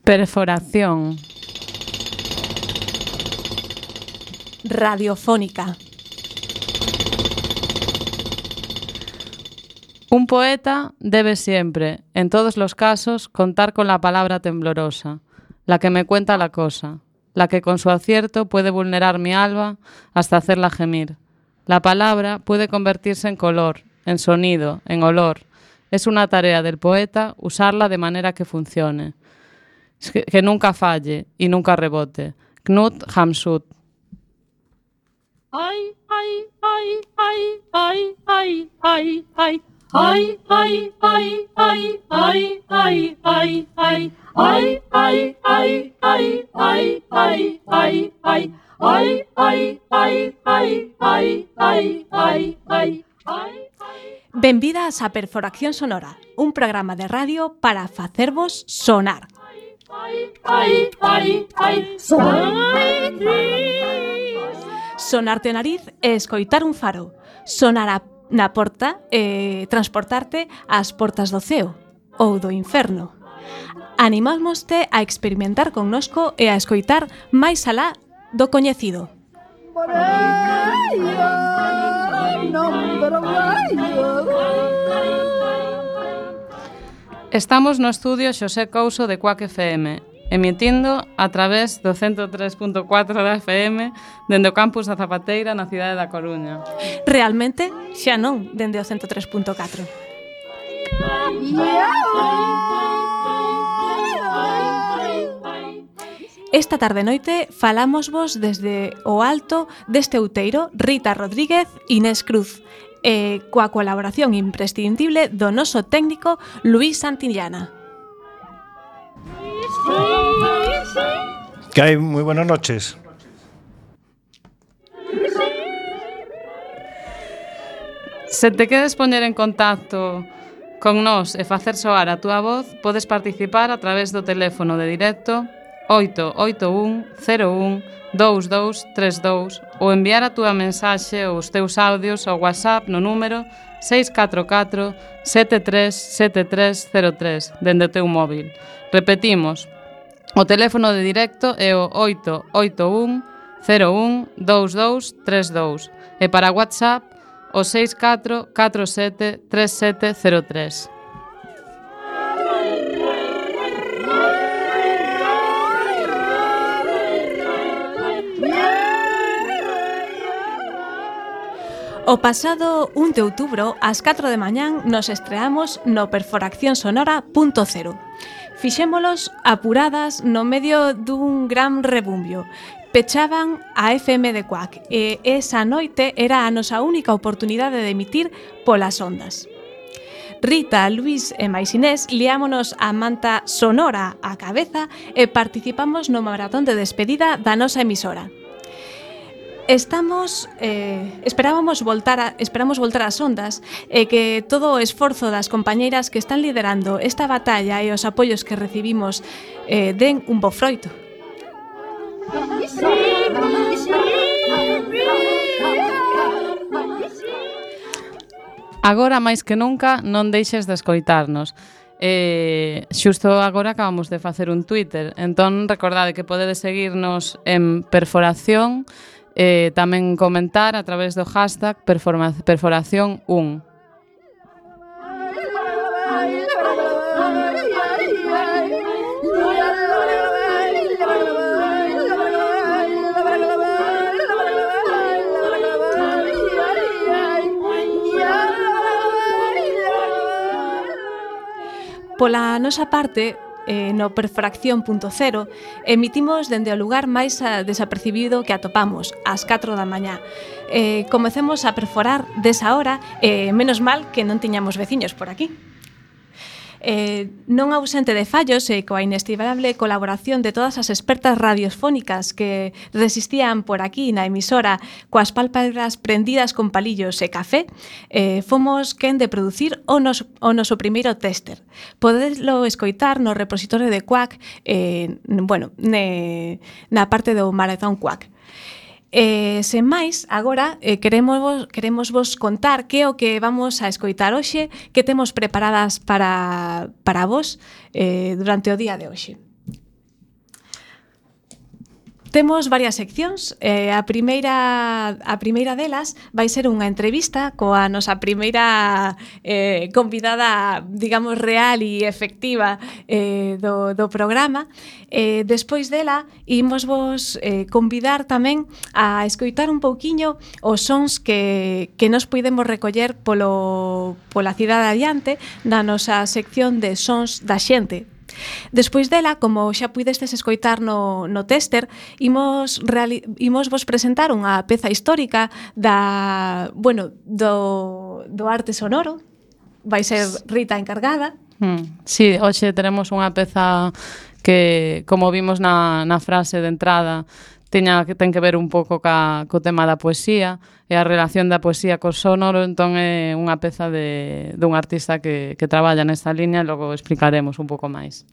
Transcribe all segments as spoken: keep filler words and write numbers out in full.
Perforación. Radiofónica. Un poeta debe siempre, en todos los casos, contar con la palabra temblorosa, la que me cuenta la cosa, la que con su acierto puede vulnerar mi alma hasta hacerla gemir. La palabra puede convertirse en color, en sonido, en olor. Es una tarea del poeta usarla de manera que funcione, que, que nunca falle y nunca rebote. Knut Hamsun. Ay, ay, ay, ay, ay, ay, ay, ay. Ay, ay, ay, ay, ay, ay, ay, ay. Ay, ay, ay, ay, ay, ay, ay, ay. Ay, ay, ay, ay, ay, ay, ay, ay. Benvidas a Perforación Sonora, un programa de radio para facervos sonar. Ay, ay, ay, ay, sonar. Sonarte o nariz e escoitar un faro. Sonar a, na porta e transportarte ás portas do ceo ou do inferno. Animámoste a experimentar connosco e a escoitar máis alá do coñecido. Estamos no estudio Xosé Couso de Quack F M, emitindo a través do ciento tres punto catro da F M dende o campus da Zapateira na cidade da Coruña. Realmente, xa non dende o ciento tres punto catro. Esta tarde noite falámosvos desde o alto deste outeiro Rita Rodríguez Inés Cruz, e coa colaboración imprescindible do noso técnico Luís Santillana. Que hai? Moi buenas noches. Se te queres poñer en contacto con nós e facer soar a túa voz, podes participar a través do teléfono de directo oito oito un cero un dous dous tres dous ou enviar a túa mensaxe ou os teus audios ao WhatsApp no número seis catro catro sete tres sete tres cero tres dende o teu móvil. Repetimos, o teléfono de directo é o oito oito un cero un dous dous tres dous e para WhatsApp o seis catro catro sete tres sete cero tres. O pasado un de outubro, ás catro de mañán, nos estreamos no perforación sonora punto cero. Fixémolos apuradas no medio dun gran rebumbio. Pechaban a F M de Quack e esa noite era a nosa única oportunidade de emitir polas ondas. Rita, Luís e máis Inés liámonos a manta sonora á cabeza e participamos no maratón de despedida da nosa emisora. Estamos eh, esperábamos voltar a, esperamos voltar ás ondas e que todo o esforzo das compañeiras que están liderando esta batalla e os apoios que recibimos eh, den un bo froito. Agora máis que nunca non deixes de escoitarnos. Eh, xusto agora acabamos de facer un Twitter, entón recordade que podedes seguirnos en Perforación. Eh, tamén comentar a través do hashtag perforación un. Pola nosa parte, eh, no Perforación punto cero, emitimos dende o lugar máis desapercibido que atopamos, ás catro da mañá. Eh, comecemos a perforar desa hora, e eh, menos mal que non tiñamos veciños por aquí. Eh, non ausente de fallos e coa inestimable colaboración de todas as expertas radiofónicas que resistían por aquí na emisora coas pálpebras prendidas con palillos e café, eh, fomos quen de producir o, nos, o noso primeiro tester. Podeslo escoitar no repositorio de Quack, eh, bueno, ne, na parte do Maratón Quack. E, sen máis, agora eh, queremos, queremos vos contar que é o que vamos a escoitar hoxe, que temos preparadas para, para vos eh, durante o día de hoxe. Temos varias seccións. Eh, a primeira a primeira delas vai ser unha entrevista coa nosa primeira eh, convidada, digamos, real e efectiva eh, do, do programa. Eh, despois dela, imos vos eh, convidar tamén a escoitar un pouquiño os sons que, que nos podemos recoller polo, pola cidade adiante na nosa sección de sons da xente. Despois dela, como xa puidestes escoitar no, no tester, imos, reali- imos vos presentar unha peza histórica da, bueno, do, do arte sonoro. Vai ser Rita encargada. Mm. Sí, hoxe teremos unha peza que, como vimos na, na frase de entrada, teña que ten que ver un pouco ca, co tema da poesía e a relación da poesía co sonoro, entón é unha peza de, dun artista que, que traballa nesta liña e logo explicaremos un pouco máis.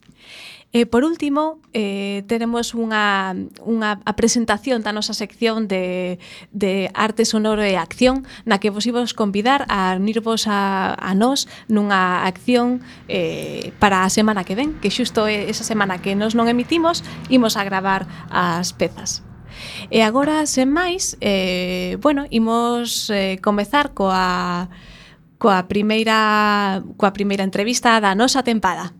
E por último, eh, teremos unha, unha a presentación da nosa sección de, de arte sonoro e acción, na que vos imos convidar a unirvos a, a nós nunha acción eh, para a semana que ven, que xusto esa semana que nos non emitimos, imos a gravar as pezas. E agora, sen máis, eh, bueno, imos eh, comezar coa, coa, primeira, coa primeira entrevista da nosa tempada.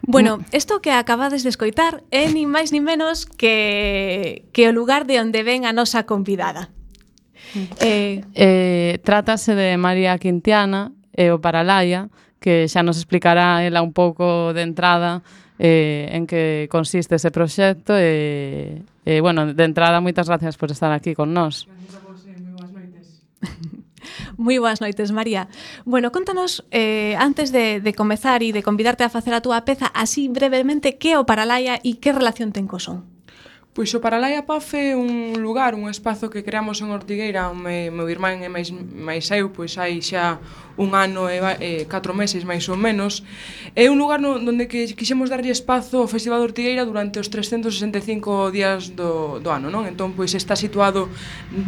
Bueno, isto que acabades de escoitar é ni máis ni menos que, que o lugar de onde ven a nosa convidada. Eh, eh, trátase de María Quintiana e o Paralaia, que xa nos explicará ela un pouco de entrada eh, en que consiste ese proxecto e, e, bueno, de entrada, moitas gracias por estar aquí con nós. Gracias a vos, eh, moi boas noites. Moi boas noites, María. Bueno, contanos, eh, antes de, de comezar e de convidarte a facer a túa peza, así brevemente, que é o Paralaia e que relación ten co son? Pois o Paralaia P A F é un lugar, un espazo que creamos en Ortigueira, onde meu irmán e máis, máis eu, pois hai xa un ano e, e catro meses máis ou menos. É un lugar no, onde que quixemos darlle espazo ao Festival de Ortigueira durante os trescentos sesenta e cinco días do, do ano, non? Entón, pois está situado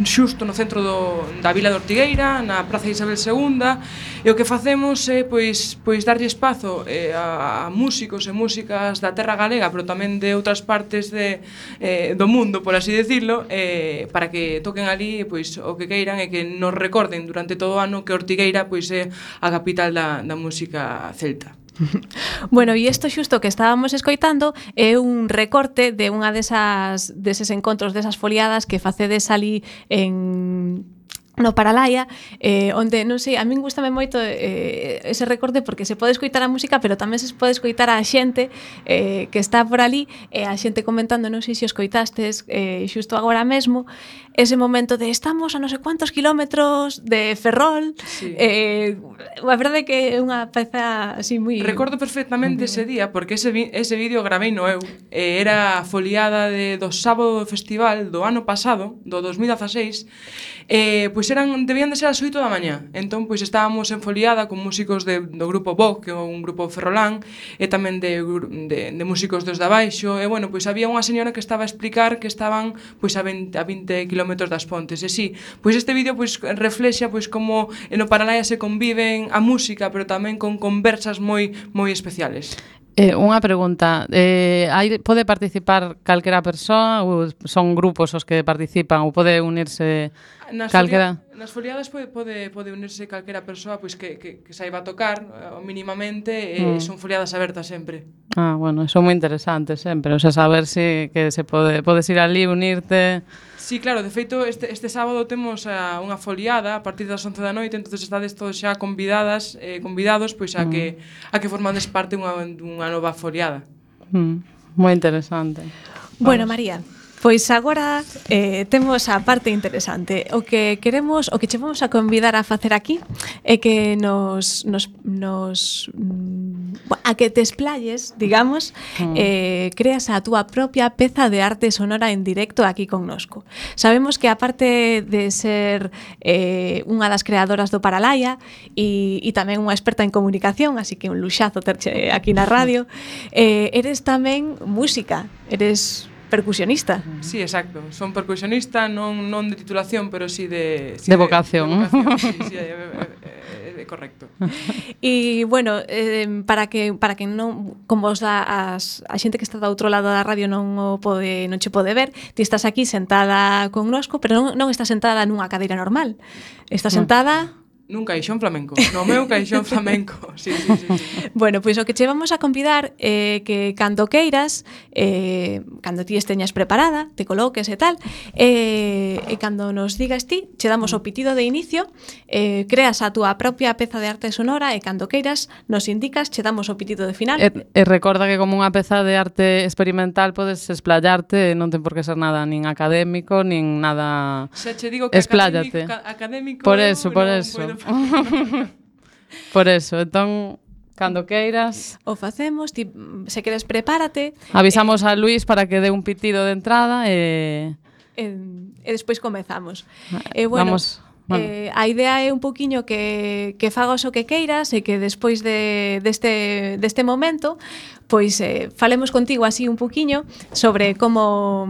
xusto no centro do, da vila de Ortigueira, na Praza Isabel segunda, e o que facemos é pois, pois darlle espazo eh, a, a músicos e músicas da terra galega, pero tamén de outras partes de eh, do mundo, por así decirlo, eh, para que toquen ali pois o que queiran e que nos recorden durante todo o ano que Ortigueira pois é a capital da, da música celta. Bueno, e isto xusto que estábamos escoitando é un recorte de unha desas deses encontros, desas foliadas que facedes ali en no Paralaia, eh, onde, non sei, a min gustame moito eh, ese recorte porque se pode escoitar a música, pero tamén se pode escoitar a xente eh, que está por ali, e eh, a xente comentando, non sei se os coitastes eh, xusto agora mesmo, ese momento de estamos a non sei cuántos kilómetros de Ferrol, sí. eh, a verdade que é unha peza así moi... Recordo perfectamente uh-huh. ese día, porque ese, ese vídeo gravei no eu, eh, era a foliada de, do sábado do festival do ano pasado, do dos mil dezaseis, eh, pois eran, debían de ser as oito da mañá. Entón, pois estábamos en foliada con músicos de, do grupo Vogue, que é un grupo ferrolán, e tamén de, de, de músicos dos de abaixo, e bueno, pois había unha señora que estaba a explicar que estaban pois a vinte, a vinte kilómetros das Pontes. E sí, pois este vídeo pois reflexa pois como no Paralaia se conviven a música, pero tamén con conversas moi moi especiales. Eh, unha pregunta, eh, hai, pode participar calquera persoa ou son grupos os que participan ou pode unirse nas calquera? Folia, nas foliadas pode, pode, pode unirse calquera persoa pois que, que, que saiba tocar uh, mínimamente e mm. son foliadas abertas sempre. Ah, bueno, son moi interesantes sempre, o sea, saber si que se pode podes ir ali unirte. Sí, claro, de feito este, este sábado temos uh, unha foliada a partir das once da noite, entonces estades todos xa convidadas, eh, convidados pois a mm. que a que formades parte dunha, dunha nova foliada. Mm. Moi interesante. Bueno, María, pois agora eh, temos a parte interesante. O que queremos, o que che vamos a convidar a facer aquí é que nos, nos, nos a que te explayes, digamos, mm. eh, creas a túa propia peza de arte sonora en directo aquí connosco. Sabemos que aparte de ser eh, unha das creadoras do Paralaia e, e tamén unha experta en comunicación, así que un luxazo terche aquí na radio, eh, eres tamén música, eres percusionista. Sí, exacto. Son percusionista, non non de titulación, pero sí de sí de vocación. De, de vocación. Sí, sí, é, é, é correcto. E bueno, eh, para que para que non como os da as, a xente que está do outro lado da radio non o pode non che pode ver, ti estás aquí sentada connosco, pero non, non estás sentada nunha cadeira normal. Estás sentada nun caixón flamenco, no meu caixón flamenco. Sí, sí, sí, sí. Bueno, pois o que che vamos a convidar é eh, que cando queiras, eh, cando ti esteñas preparada, te coloques e tal, eh, e cando nos digas ti, che damos o pitido de inicio, eh, creas a túa propia peza de arte sonora e cando queiras nos indicas, che damos o pitido de final. E, e recorda que como unha peza de arte experimental podes explayarte, non ten por que ser nada nin académico, nin nada. Xa che digo que expláyate. Académico, académico por eso, por no eso. Por eso, entón, cando queiras o facemos, ti, se queres prepárate. Avisamos eh, a Luís para que dé un pitido de entrada e... E, e despois comezamos. E bueno, Vamos, bueno. Eh, a idea é un poquiño que, que fagas o que queiras e que despois de, deste, deste momento pois eh, falemos contigo así un poquiño sobre como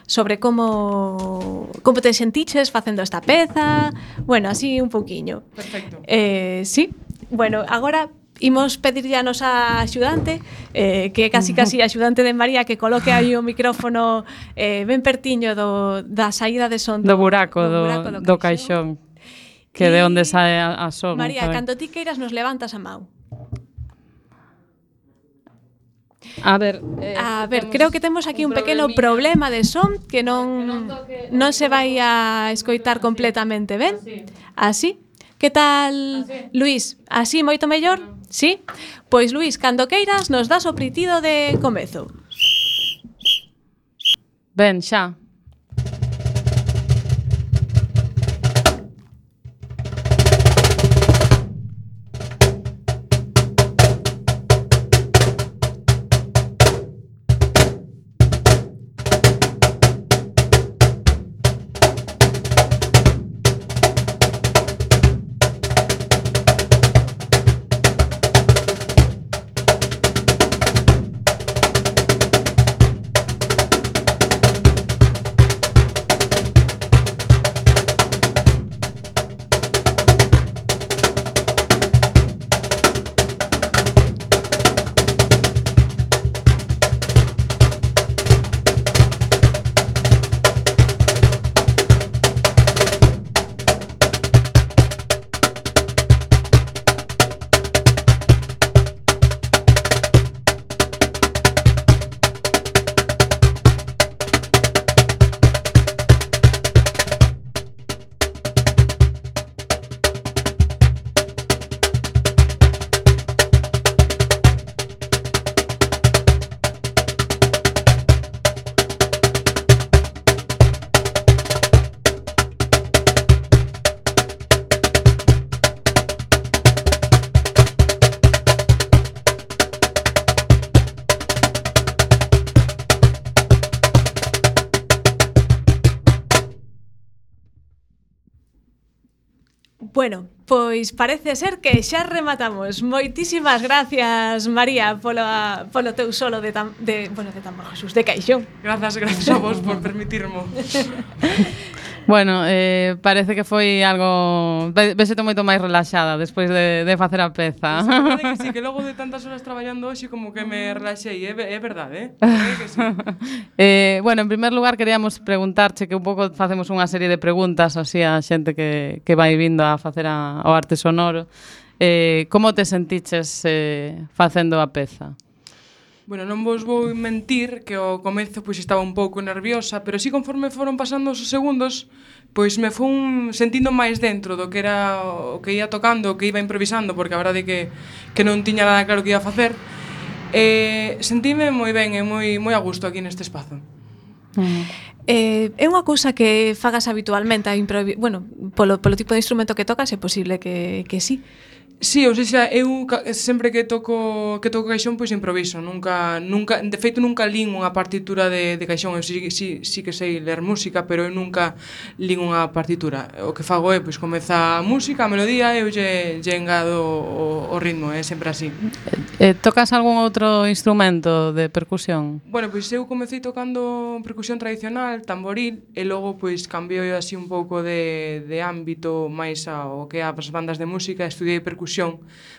sobre como como te sentiches facendo esta peza, bueno, así un poquiño. Perfecto. Eh, sí. Bueno, agora imos pedirlle a nosa axudante, eh, que é casi casi axudante de María, que coloque aí o micrófono eh, ben pertiño do, da saída de son do, do buraco do, do, buraco do, do caixón, que e de onde sae a, a son. María, cando ti queiras nos levantas a mau. A ver, eh, a ver, creo que temos aquí un, un pequeno problema de son que non non se vai a escoitar completamente ben. Así? Que tal, así. Luís? Así moito mellor? Sí? Pois Luís, cando queiras nos das o pritido de comezo. Ben, xa. Bueno, pois parece ser que xa rematamos. Moitísimas gracias, María, polo, polo teu solo de, tam, de, bueno, de tambor, Jesús, de caixón. Grazas, grazas a vos por permitirmo. Bueno, eh, parece que foi algo... Vesete moito máis relaxada despois de, de facer a peza. Pues, que sí, que logo de tantas horas traballando hoxe como que me relaxei, é, é verdade, eh? É que sí. eh, bueno, en primer lugar queríamos preguntarche que un pouco facemos unha serie de preguntas así a xente que, que vai vindo a facer a, o arte sonoro. Eh, como te sentiches eh, facendo a peza? Bueno, non vos vou mentir que ao comezo pois estaba un pouco nerviosa, pero si conforme foron pasando os segundos, pois me fun sentindo máis dentro do que era o que ia tocando, o que iba improvisando, porque a verdade é que, que non tiña nada claro que ia facer. Eh, sentime moi ben e moi, moi a gusto aquí neste espazo. Uh-huh. Eh, é unha cousa que fagas habitualmente a improvi- bueno, polo, polo tipo de instrumento que tocas é posible que, que sí. Sí, ou seja, eu sempre que toco que toco caixón, pois improviso, nunca nunca, de feito nunca lin unha partitura de de caixón, eu si, si, si que sei ler música, pero eu nunca lin unha partitura. O que fago é pois comeza a música, a melodía e eu lle, lle engado o, o ritmo, é sempre así. Eh, tocas algún outro instrumento de percusión? Bueno, pois eu comecei tocando percusión tradicional, tamboril, e logo pois cambiou así un pouco de de ámbito máis ao que as bandas de música, estudiei percusión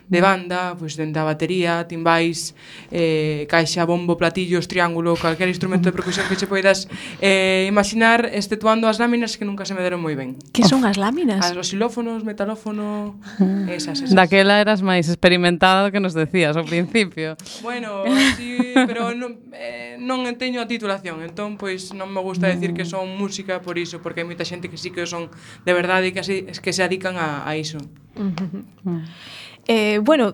de banda, pois dende a batería, timbais, eh, caixa, bombo, platillos, triángulo, calquer instrumento de percusión que che poidas eh, imaginar, exceptuando as láminas que nunca se me deron moi ben. Que son as láminas? As, os xilófonos, metalófono, esas, esas. Daquela eras máis experimentada que nos decías ao principio. Bueno, sí, pero non, eh, non teño a titulación, entón pois non me gusta decir que son música por iso, porque hai moita xente que sí que son de verdade e que, así, que se dedican a, a iso. Uh-huh. Eh, bueno,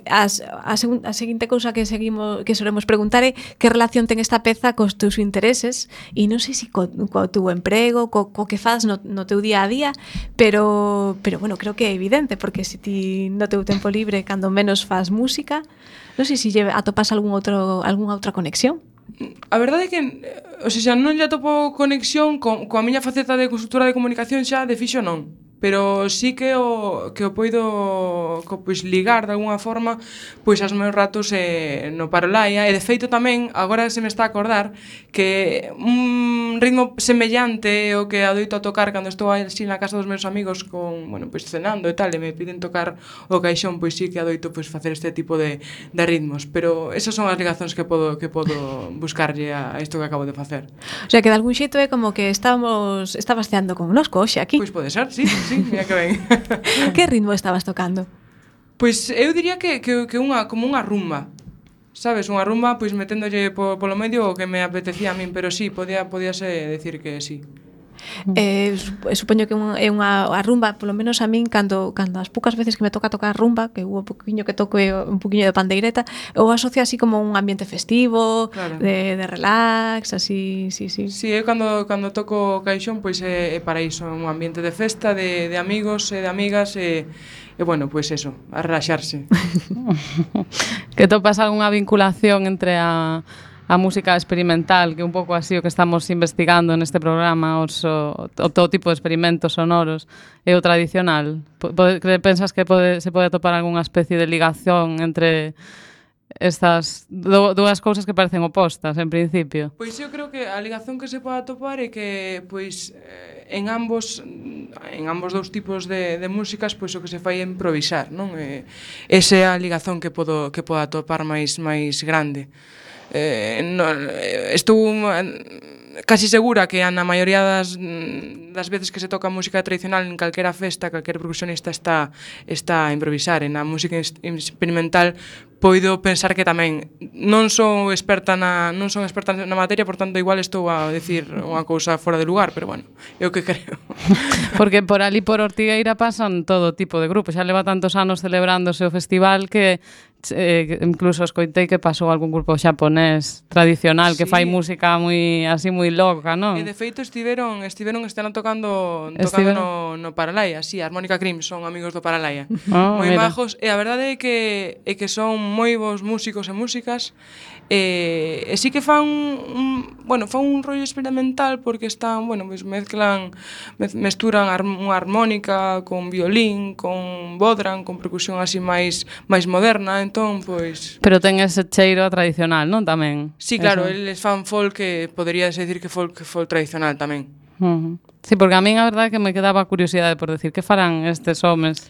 as, a, segun, a seguinte cousa que seguimos que solemos preguntar é que relación ten esta peza cos teus intereses e non sei se co, co teu emprego, co, co que faz no, no teu día a día, pero pero bueno, creo que é evidente porque se ti no teu tempo libre cando menos faz música, non sei se lle atopas algún outro algunha outra conexión. A verdade é que, o sea, non lle atopo conexión con, coa miña faceta de consultora de comunicación xa de fixo non. Pero sí que o que o poido co, pois, ligar de alguna forma pois aos meus ratos eh, no Paralaia, e de feito tamén agora se me está a acordar que un ritmo semellante ao que adoito a tocar cando estou así na casa dos meus amigos con, bueno, pois cenando e tal, e me piden tocar o caixón, pois sí que adoito pois facer este tipo de, de ritmos, pero esas son as ligazóns que podo que podo buscarlle a isto que acabo de facer. O sea, que de algún xeito é como que estamos estabas ceando con nosco hoxe aquí. Pois pode ser, sí. Sí, mira que ben. Que ritmo estabas tocando? Pois eu diría que, que, que unha, como unha rumba. Sabes, unha rumba, pois meténdolle po, polo medio o que me apetecía a min, pero sí, podía, podíase decir que sí. Eh, supoño que é unha a rumba, polo menos a min cando cando as poucas veces que me toca tocar rumba, que hubo poquinho que toco un poquinho de pandeireta, eu asocio así como un ambiente festivo, claro. de, de relax, así, sí, sí. Sí, eu cando cando toco caixón, pois é, é para iso, un ambiente de festa, de, de amigos e de amigas e E bueno, pois pues eso, a relaxarse. Que topas algunha vinculación entre a, a música experimental, que un pouco así o que estamos investigando neste programa, os, o, o todo tipo de experimentos sonoros, e o tradicional? Pode, pensas que pode, se pode topar algunha especie de ligación entre estas do, dúas cousas que parecen opostas en principio? Pois eu creo que a ligación que se pode atopar é que pois en ambos en ambos dous tipos de, de músicas pois o que se fai é improvisar, non? E, esa é a ligación que podo que podo atopar máis máis grande. Eh, no, estou casi segura que na maioría das, das veces que se toca música tradicional en calquera festa, calquer percusionista está está a improvisar. En a música experimental poido pensar que tamén non son experta na non son experta na materia, por tanto igual estou a decir unha cousa fora de lugar, pero bueno, é o que creo. Porque por ali por Ortigueira pasan todo tipo de grupos, xa leva tantos anos celebrándose o festival que eh, incluso escoitei que pasou algún grupo xaponés tradicional que sí. fai música moi así moi loca, non? E de feito estiveron estiveron este ano tocando tocando no no Paralaia, si, sí, Armónica Cream son amigos do Paralaia. Oh, moi mira. Majos, e a verdade é que é que son moi bons músicos e músicas. E, e sí que fan un, bueno, fan un rollo experimental porque están, bueno, pues mezclan mesturan unha armónica con violín, con bodran, con percusión así máis máis moderna, entón pois. Pero ten ese cheiro tradicional, non tamén? Sí, claro, eso. Eles fan folk que poderíase decir que folk folk tradicional tamén. Uh-huh. Sí, porque a min a verdade é que me quedaba curiosidade por decir que farán estes homes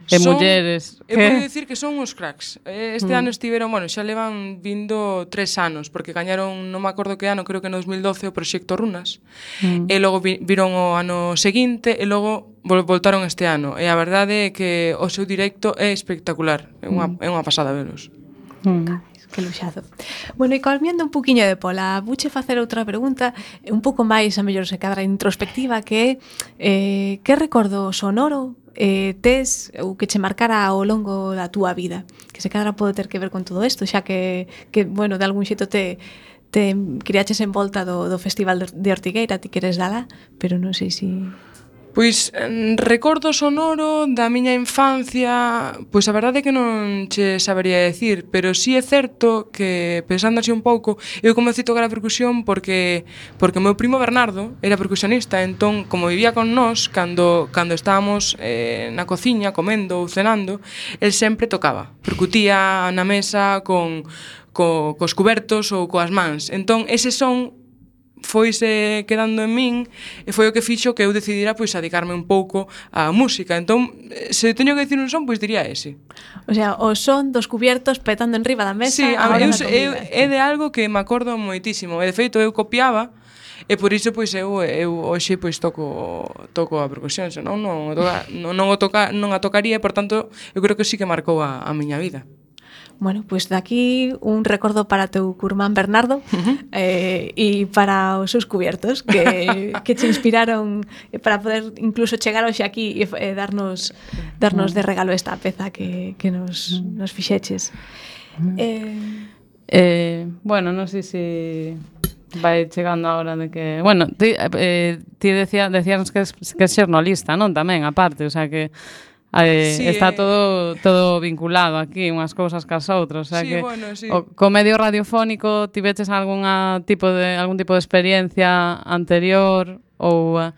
e son, mulleres. Eu podo dicir que son uns cracks. Este mm. ano estiveron, bueno, xa levan vindo tres anos, porque gañaron, non me acordo que ano, creo que no dos mil doce o proxecto Runas, mm. e logo vi, viron o ano seguinte, e logo vol, voltaron este ano. E a verdade é que o seu directo é espectacular, é unha, mm. é unha pasada velos. Mm. Que luxado. Bueno, e colmiendo un puquiño de pola, vuche facer outra pregunta un pouco máis, a mellor se cadra introspectiva, que é eh, que recordo sonoro eh, tes ou que che marcara ao longo da túa vida, que se cadra pode ter que ver con todo isto, xa que, que bueno, de algún xeito te te criaches en volta do, do Festival de Ortigueira, ti queres dala, pero non sei se... Si... Pois, recordo sonoro da miña infancia, pois a verdade é que non che sabería decir, pero sí é certo que, pensando así un pouco, eu comecei a tocar a percusión porque porque o meu primo Bernardo era percusionista, entón, como vivía con nós, cando, cando estábamos eh, na cociña, comendo ou cenando, el sempre tocaba, percutía na mesa con, co, cos cubertos ou coas mans. Entón, ese son foise quedando en min e foi o que fixo que eu decidira pois dedicarme un pouco á música. Entón, se teño que dicir un son, pois diría ese. O sea, o son dos cubiertos petando en riba da mesa. Sí, a eu, eu, é de algo que me acordo moitísimo. E de feito eu copiaba e por iso pois eu eu hoxe pois toco toco a percusión, senón non toca, non, non o toca, non a tocaría, e por tanto eu creo que sí que marcou a, a miña vida. Bueno, pois pues daqui un recordo para teu curmán Bernardo uh-huh. eh, e para os seus cubiertos que, que te inspiraron para poder incluso chegar hoxe aquí e eh, darnos darnos de regalo esta peza que, que nos, nos fixeches. Eh... Eh, bueno, non sei se vai chegando a hora de que... Bueno, ti, eh, ti decía, decías que es, que es xornalista, non? Tamén, aparte, o sea que... Eh, sí, está eh... todo todo vinculado aquí, unhas cousas cas outras, o sea sí, que bueno, sí. o, co medio radiofónico tiveches algunha tipo de algún tipo de experiencia anterior ou a,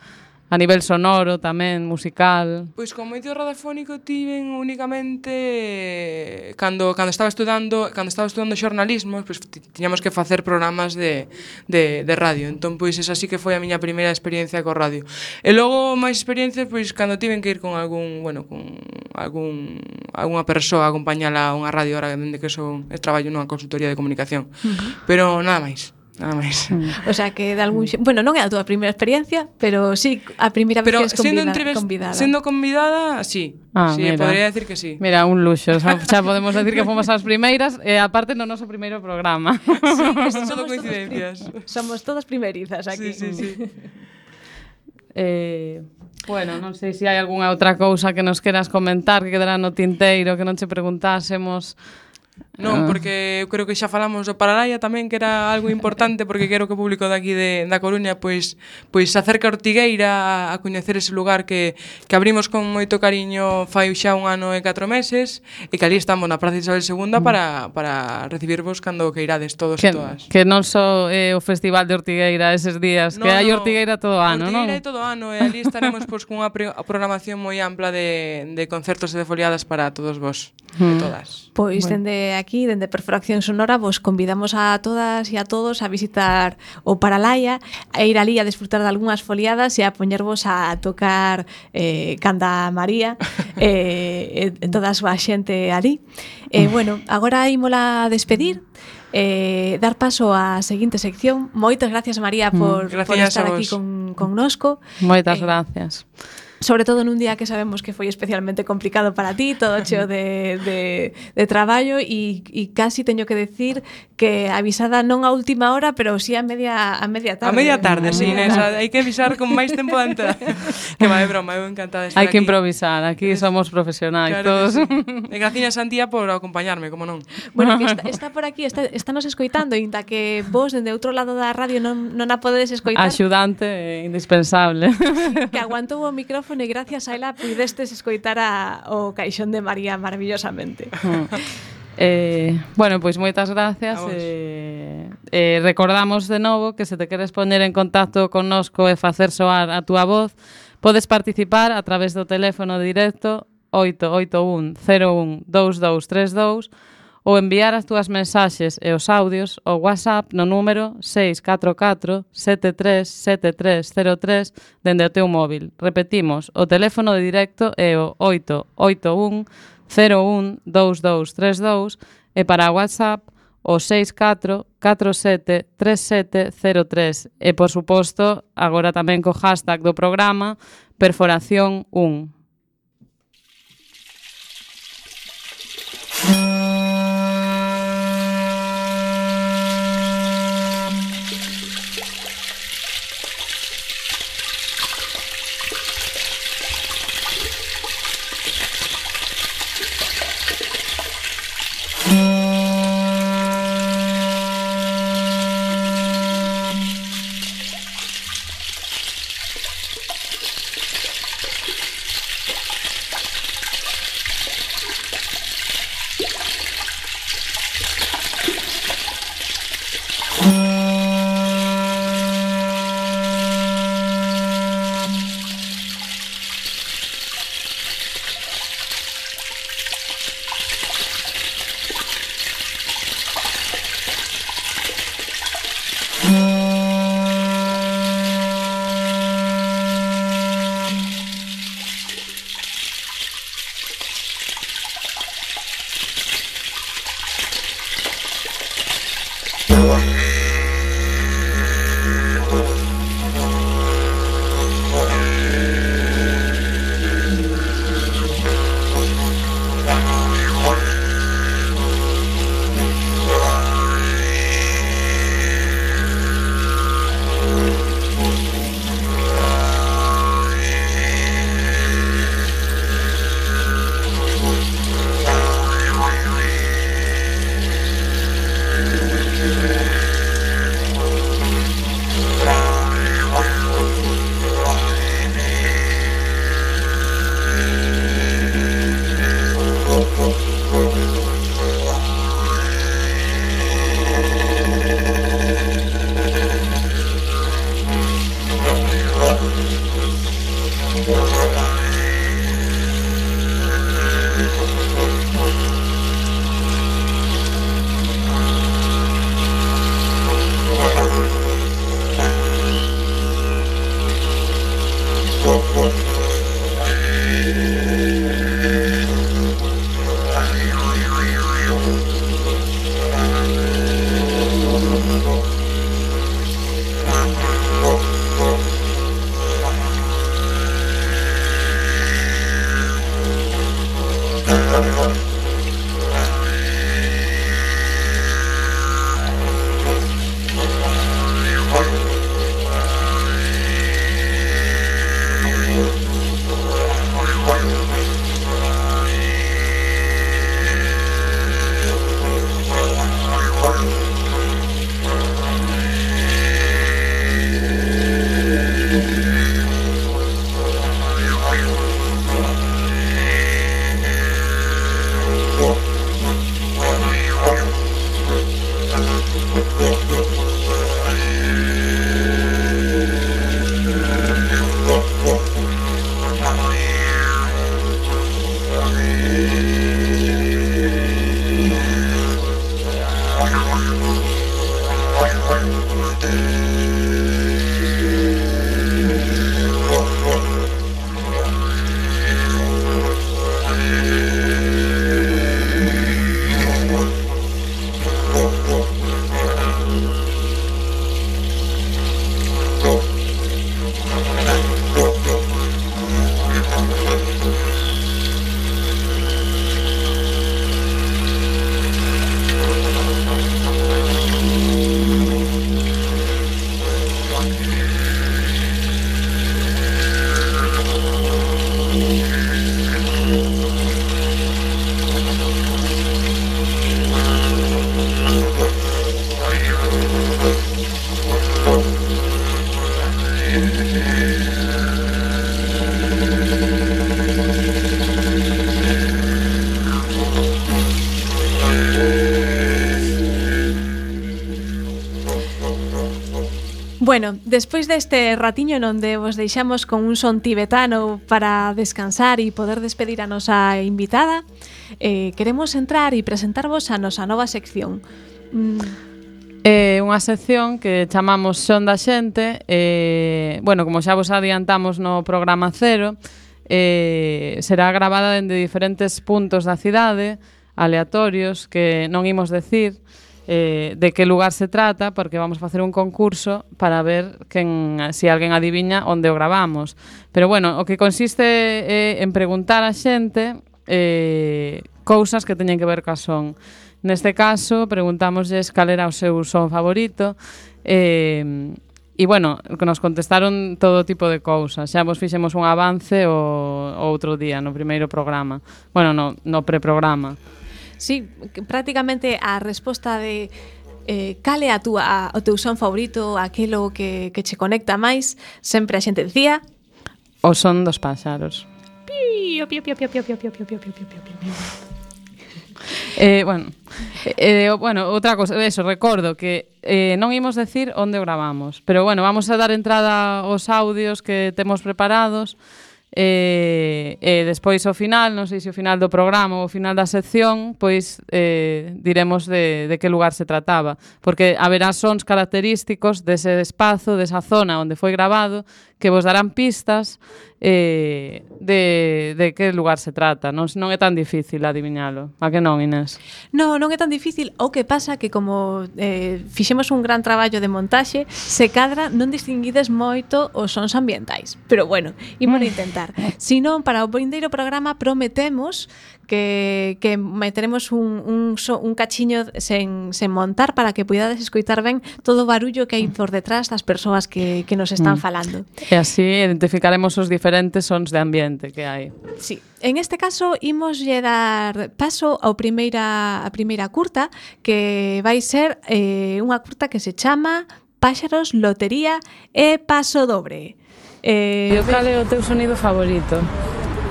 a nivel sonoro tamén, musical? Pois con medio radiofónico tiven únicamente cando cando estaba estudando, cando estaba estudando xornalismo, pois tiñamos que facer programas de de de radio. Entón pois esa sí que foi a miña primeira experiencia co radio. E logo máis experiencias pois cando tiven que ir con algún, bueno, con algún algunha persoa a acompañala a unha radio, ahora dende que son traballo nunha consultoría de comunicación. Uh-huh. Pero nada máis. Nada máis. Mm. O sea que de algún... Bueno, non é a túa primeira experiencia, pero sí a primeira vez pero que es convida, entrevist... convidada. Sendo convidada, sí. Ah, sí, mira. Podría decir que sí. Mira, un luxo. O sea, xa podemos decir que fomos as primeiras e aparte no noso primeiro programa. Sí, son todo coincidencias. Somos todas primerizas aquí. Sí, sí, sí. eh, bueno, non sei se hai algunha outra cousa que nos queras comentar que quedará no tinteiro que non che preguntásemos. Non, porque eu creo que xa falamos do Paralaia tamén, que era algo importante, porque quero que o público daqui de, da Coruña pois pois se acerca a Ortigueira a, a coñecer ese lugar que, que abrimos con moito cariño fai xa un ano e catro meses e que ali estamos na Praza Isabel segunda para, para recibirvos cando que irades todos que, e todas. Que non só é o Festival de Ortigueira eses días, no, que hai no, Ortigueira todo o ano, non? Ortigueira todo o ano, e ali estaremos pois cunha programación moi ampla de, de concertos e de foliadas para todos vos mm. e todas. Pois bueno. Dende aquí, dende Perforación Sonora, vos convidamos a todas e a todos a visitar o Paralaia, a ir ali a disfrutar de algunhas foliadas e a poñervos a tocar eh, Canta María e eh, toda a súa xente ali. E eh, bueno, agora ímola despedir, eh, dar paso á seguinte sección. Moitas gracias, María, por, gracias por estar aquí con, connosco. Moitas eh, gracias. Sobre todo nun día que sabemos que foi especialmente complicado para ti, todo cheo de, de, de traballo e, e casi teño que decir que avisada non a última hora, pero sí a media, a media tarde. A media tarde, sí, Inés, hai que avisar con máis tempo de antelación. Que vai, broma, eu encantada de estar aquí. Hai que aquí. improvisar, aquí somos profesionais claro todos. Sí. E gracias a Santía por acompañarme, como non. Bueno, que está, está por aquí, está, está nos escoitando, inda que vos, dende outro lado da radio, non, non a podedes escoitar. Axudante indispensable. Que aguantou o micrófono e gracias a ela pudestes escoitar a, o caixón de María maravillosamente. Eh, bueno, pois pues moitas gracias. Eh, eh, recordamos de novo que se te queres poñer en contacto connosco e facer soar a túa voz, podes participar a través do teléfono directo oito oito un cero un dous dous tres dous ou enviar as túas mensaxes e os audios ao WhatsApp no número seis catro catro sete tres sete tres cero tres dende o teu móvil. Repetimos, o teléfono de directo é o oito oito un cero un dous dous tres dous e para o WhatsApp o seis catro catro sete tres sete cero tres e, por suposto, agora tamén co hashtag do programa Perforación un. Bueno, despois deste ratiño onde vos deixamos con un son tibetano para descansar e poder despedir a nosa invitada, eh, queremos entrar e presentarvos a nosa nova sección. Mm. É unha sección que chamamos Son da Xente. eh, Bueno, como xa vos adiantamos no programa cero, eh, será gravada dende diferentes puntos da cidade, aleatorios, que non imos decir Eh, de que lugar se trata, porque vamos a facer un concurso para ver quen, si alguén adiviña onde o gravamos. Pero bueno, o que consiste é en preguntar a xente eh, cousas que teñen que ver ca son. Neste caso, preguntámosles cal era o seu son favorito eh, e, bueno, que nos contestaron todo tipo de cousas. Xa vos fixemos un avance o, o outro día, no primeiro programa. Bueno, no, no preprograma. Sí, prácticamente a resposta de eh, cal é a túa, o teu son favorito, aquelo que, que che conecta máis, sempre a xente dicía o son dos páxaros. Pío, pío, pío, pío, pío, pío, pío, pío, pío, pío, pío, pío. Eh, bueno, eh, bueno, outra cosa, eso, recordo que eh, non imos decir onde o gravamos, pero bueno, vamos a dar entrada aos audios que temos preparados. E, e despois ao final, non sei se ao final do programa ou ao final da sección, pois eh, diremos de, de que lugar se trataba, porque haberá sons característicos dese espazo, desa zona onde foi gravado, que vos darán pistas eh, de, de que lugar se trata. Non, non é tan difícil adivinhalo. A que non, Inés? No, non é tan difícil. O que pasa que como eh, fixemos un gran traballo de montaxe, se cadra non distinguides moito os sons ambientais. Pero bueno, imos a intentar. Si non, para o vindeiro programa prometemos que, que meteremos un, un, so, un cachiño sen, sen montar para que puidades escoitar ben todo o barullo que hai por detrás das persoas que, que nos están falando. E así identificaremos os diferentes sons de ambiente que hai. Sí. En este caso, imoslle dar paso ao primeira, a primeira curta, que vai ser eh, unha curta que se chama Páxaros, Lotería e Paso Dobre. Eh, e cal é o teu sonido favorito?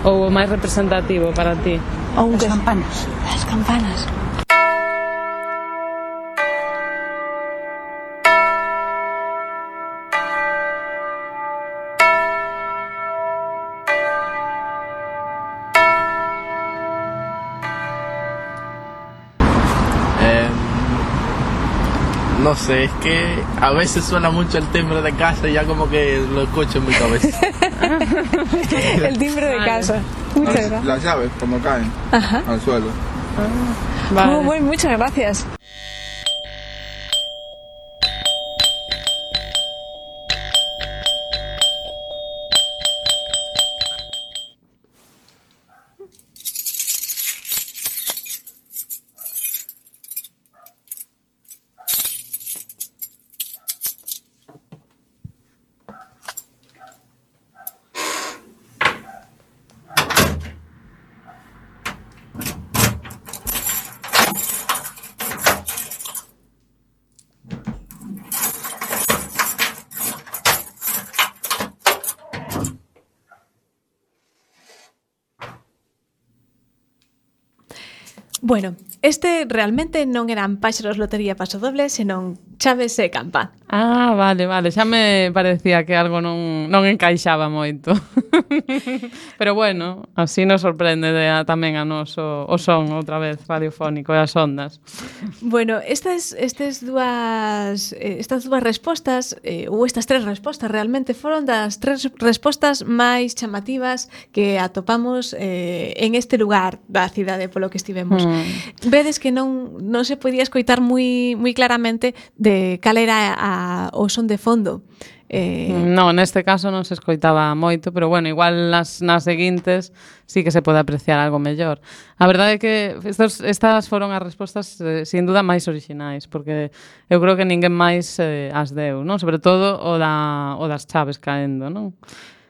Ou o máis representativo para ti? Ou as campanas. As campanas. No sé, es que a veces suena mucho el timbre de casa y ya como que lo escucho en mi cabeza. El timbre de casa. Muchas gracias. Las llaves cuando caen Ajá. al suelo. Ah, vale. Muy, muy, muchas gracias. Bueno, este realmente non eran Páxaros Lotería Pasodoble, senón Chaves e Campa. Ah, vale, vale, xa me parecía que algo non, non encaixaba moito. Pero bueno, así nos sorprende de a, tamén a nos o, o son outra vez radiofónico e as ondas. Bueno, estas, estas dúas eh, estas dúas respostas eh, ou estas tres respostas realmente foron das tres respostas máis chamativas que atopamos eh, en este lugar da cidade polo que estivemos. Mm. Vedes que non non se podía escoitar moi moi claramente de cal era a o son de fondo. Eh... Non, neste caso non se escoitaba moito, pero bueno, igual nas, nas seguintes sí que se pode apreciar algo mellor. A verdade é que estos, estas foron as respostas eh, sin duda máis orixinais, porque eu creo que ninguén máis eh, as deu, non? Sobre todo o, da, o das chaves caendo, non?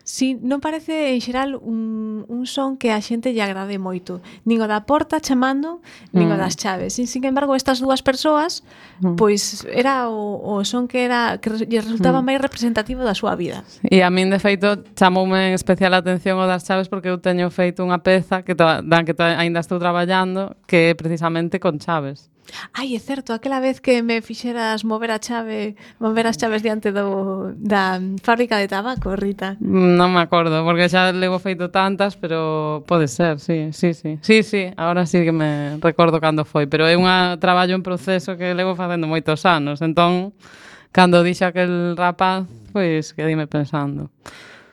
Si, non parece en xeral un, un son que a xente lle agrade moito. Nin o da porta chamando, nin mm. o das chaves. Sin, sin embargo, estas dúas persoas, mm. pois era o, o son que era que lle resultaba mm. máis representativo da súa vida. E a min, de feito, chamoume en especial a atención o das chaves porque eu teño feito unha peza que to, dan que to, aínda estou traballando que é precisamente con chaves. Ai, é certo, aquela vez que me fixeras mover a chave, mover as chaves diante do, da fábrica de tabaco, Rita. Non me acordo, porque xa levo feito tantas, pero pode ser, sí, sí, sí. Sí, sí, agora sí que me recordo cando foi, pero é un traballo en proceso que levo facendo moitos anos, entón, cando dixo aquel rapaz, pois quedime pensando.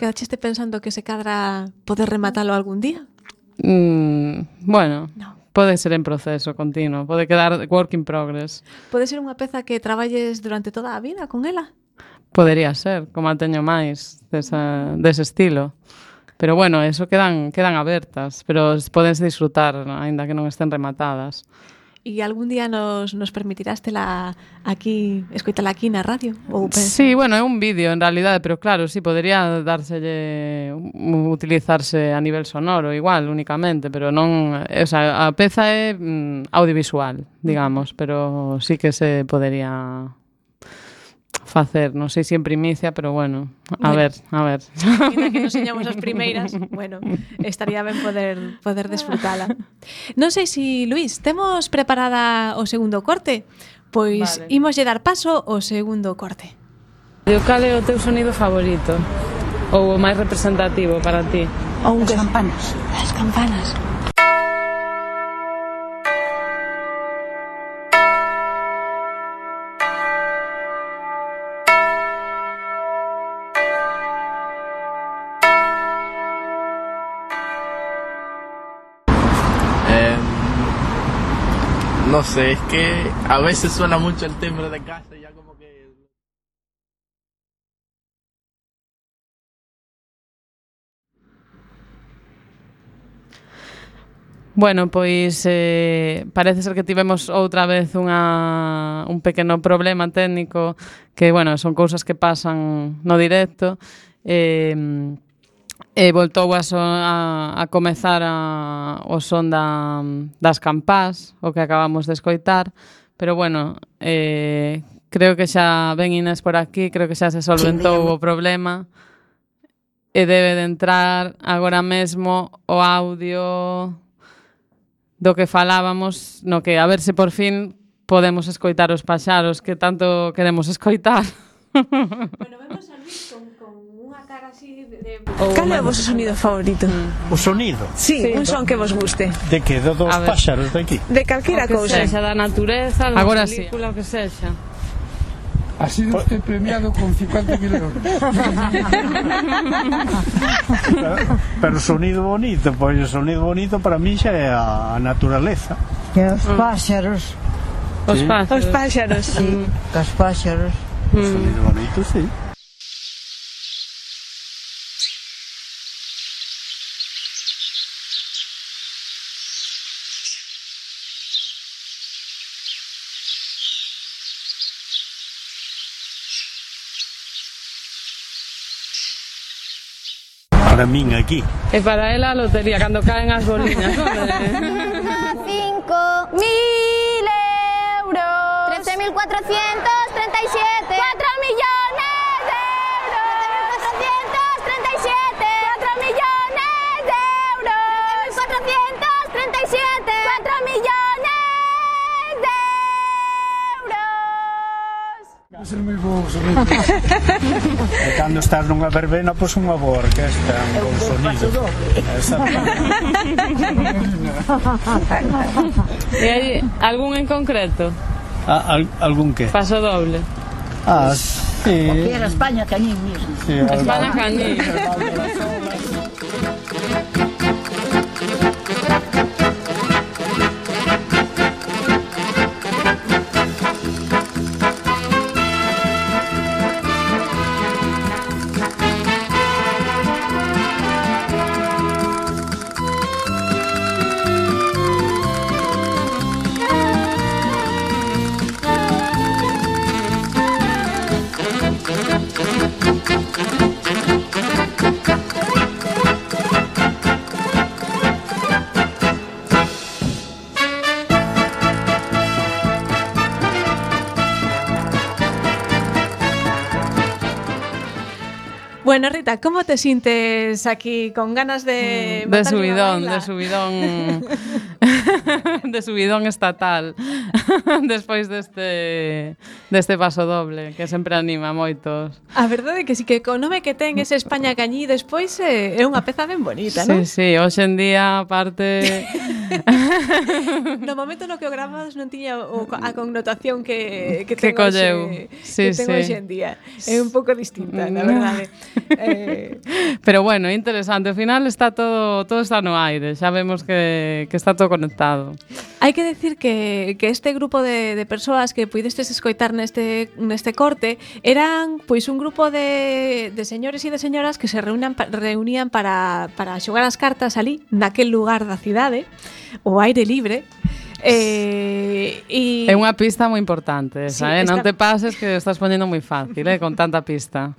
Quedaste pensando que se cadra poder rematalo algún día? Mm, bueno... No. Pode ser en proceso continuo, pode quedar work in progress. Pode ser unha peza que traballes durante toda a vida con ela? Podería ser, como a teño máis desa, dese estilo. Pero bueno, eso quedan, quedan abertas, pero podense disfrutar, aínda que non estén rematadas. E algún día nos, nos permitirastela aquí, escoitala aquí na radio? Ou sí, bueno, é un vídeo en realidade, pero claro, sí, podería dárselle, utilizarse a nivel sonoro igual, únicamente, pero non, o sea, a peza é mm, audiovisual, digamos, pero sí que se podería facer, non sei se en primicia, pero bueno, a bueno, ver, a ver. Ainda que nos señamos as primeiras, bueno, estaría ben poder poder desfrutala. Non sei se, Luís, temos preparada o segundo corte? Pois vale. Imoslle dar paso ao segundo corte. E cal é o teu sonido favorito? Ou o máis representativo para ti? Ou as campanas. As campanas. No sé, es que a veces suena mucho el timbre de casa y ya como que... Bueno, pois eh, parece ser que tivemos outra vez unha, un pequeno problema técnico que, bueno, son cousas que pasan no directo. Eh, E voltou a, so, a, a comezar a, o son da, das campás, o que acabamos de escoitar, pero bueno, eh, creo que xa ven Inés por aquí, creo que xa se solventou o problema e debe de entrar agora mesmo o audio do que falábamos, no que a ver se por fin podemos escoitar os paxaros que tanto queremos escoitar. Bueno, vemos a Luís con, con unha cara así de... de... Cal é o vosso sonido favorito? O sonido? Sí, sí, un son que vos guste. De que? De dos páxaros de aquí? De calquera cousa. Sexa da natureza, da agora película, sí. O que sexa. Ha sido usted premiado con cincuenta mil euros. pero, pero sonido bonito, pois o sonido bonito para mí xa é a naturaleza. Que os páxaros. Os sí. páxaros. Os páxaros, sí. Mm. Os páxaros. Mm. Sonido bonito, sí. Para min aquí. E para ela a lotería, cando caen as boliñas, non? cinco mil euros. trece mil cuatrocientos treinta y siete. cuatro millones de euros. cuatrocientos treinta y siete. cuatro millones de euros. cuatrocientos treinta y siete. cuatro millones. Ser moi bo sonido. E cando estás nunha verbena, pois unha boa orquesta, un bon sonido. E hai algún en concreto? Ah, al, algún que? Paso doble. Ah, sí. Aquí era España Cañín mismo. Sí, España Cañín. Bueno, Rita, ¿cómo te sientes aquí con ganas de... De subidón, de subidón... de subidón estatal. Despois deste deste paso doble, que sempre anima moitos. A verdade é que si que co nome que ten ese España Cañí despois é, é unha peza ben bonita, non? Sí, sí, hoxe en día, aparte... No momento no que o gravamos non tiña o, a connotación que, que, que ten colleu. Hoxe, Sí, que ten sí. hoxe en día. É un pouco distinta, na verdade. eh... Pero bueno, interesante. Ao final está todo todo está no aire. Xa vemos que, que está todo conectado. Hai que decir que, que este grupo de, de persoas que puidestes escoitar neste, neste corte eran pois un grupo de, de señores e de señoras que se reunan, reunían para, para xogar as cartas ali, naquel lugar da cidade, o aire libre. Eh, y... É unha pista moi importante esa, Sí, eh? esta... Non te pases que estás poñendo moi fácil, eh? Con tanta pista.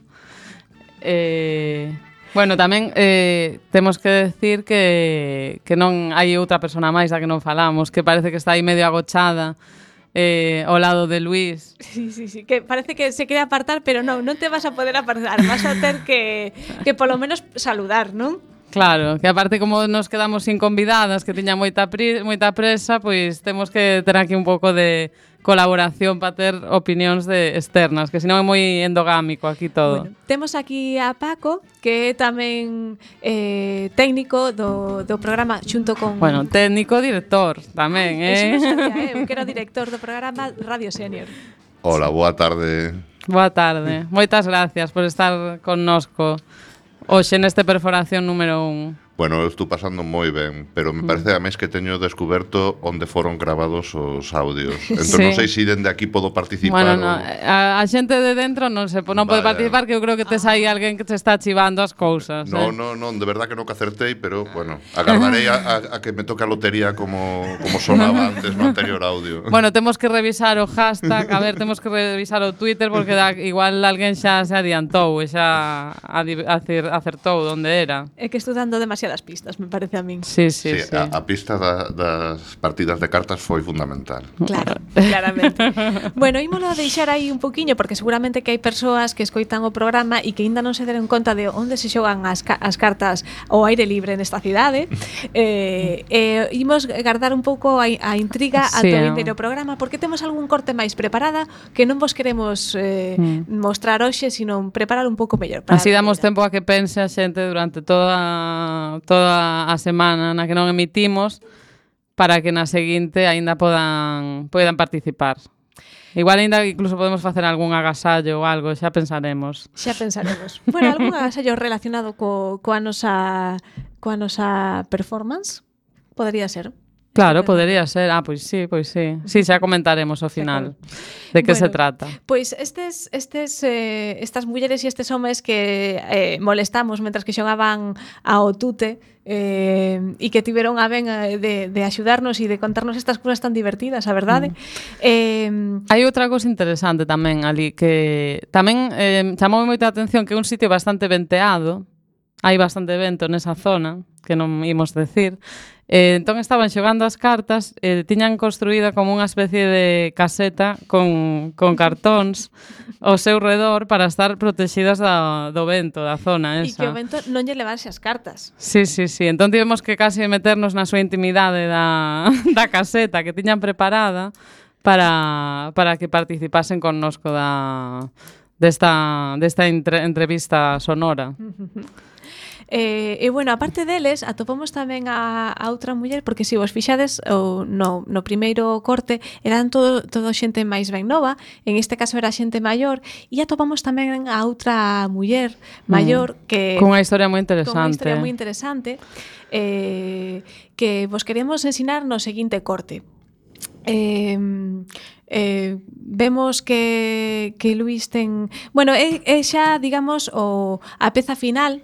Eh... Bueno, tamén eh, temos que decir que, que non hai outra persona máis da que non falamos, que parece que está aí medio agochada eh, ao lado de Luís. Sí, sí, sí, que parece que se quere apartar, pero non, non te vas a poder apartar, vas a ter que, que polo menos saludar, non? Claro, que aparte como nos quedamos sin convidadas, que tiña moita, pri, moita presa, pois temos que ter aquí un pouco de colaboración para ter opinións de externas, que senón é moi endogámico aquí todo. Bueno, temos aquí a Paco, que é tamén eh, técnico do, do programa xunto con... Bueno, técnico, director tamén, eh? Eso non sabía, eu que era o director do programa Radio Senior. Hola, boa tarde. Boa tarde. Moitas gracias por estar connosco hoxe neste Perforación número un. Bueno, eu estou pasando moi ben, pero me parece a mes que teño descoberto onde foron gravados os audios. Entón, Sí. non sei se dende aquí podo participar. Bueno, ou... no, a, a xente de dentro non se non pode Vale. participar, que eu creo que tes aí alguén que te está chivando as cousas. No, eh? no, non, de verdad que non que acertei, pero, bueno, agardarei a, a, a que me toque a lotería como, como sonaba antes no anterior audio. Bueno, temos que revisar o hashtag, a ver, temos que revisar o Twitter porque da, igual alguén xa se adiantou e xa adi- acer, acertou onde era. É que estou dando demasiadas pistas, me parece a min. Sí, sí, Sí, sí. a, a pista da, das partidas de cartas foi fundamental. Claro, claramente. Bueno, ímolo a deixar aí un poquiño porque seguramente que hai persoas que escoitan o programa e que aínda non se deron conta de onde se xogan as, ca as cartas ao aire libre nesta cidade. Eh, eh, imos guardar un pouco a, a intriga Sí, ata o eh. vindeiro programa porque temos algún corte máis preparada que non vos queremos eh, Mm. mostrar hoxe, sino preparar un pouco mellor. para Así a damos tempo a que pense a xente durante toda toda a semana na que non emitimos para que na seguinte aínda podan podan participar. Igual aínda incluso podemos facer algún agasallo ou algo, xa pensaremos. Xa pensaremos. Bueno, algún agasallo relacionado co, coa nosa coa nosa performance podría ser. Claro, podería ser. Ah, pois sí, pois sí. Sí, xa comentaremos ao final de que Bueno, se trata. Pois estes estes eh, estas mulleres e estes homes que eh, molestamos mentras que xogaban ao tute eh, e que tiveron a ben eh, de, de axudarnos e de contarnos estas cousas tan divertidas, a verdade. Mm. Eh, Hai outra cousa interesante tamén ali que tamén eh, chamou moita atención que é un sitio bastante venteado. Hai bastante vento nesa zona, que non imos decir. Eh, entón estaban xogando as cartas, eh, tiñan construída como unha especie de caseta con, con cartóns ao seu redor para estar protegidas da, do vento da zona e esa. que o vento non lle levarse as cartas. Sí, sí, sí. Entón tivemos que casi meternos na súa intimidade da, da caseta que tiñan preparada para, para que participasen connosco da, desta, desta entre, entrevista sonora. Eh, e, bueno, aparte deles, atopamos tamén a, a outra muller, porque se vos fixades o, no, no primeiro corte eran todo, todo xente máis ben nova, en este caso era xente maior, e atopamos tamén a outra muller maior mm. que... Con unha historia moi interesante. Con unha historia moi interesante eh, que vos queremos ensinar no seguinte corte. Eh, eh, vemos que, que Luís ten... Bueno, é, é xa, digamos, o, a peza final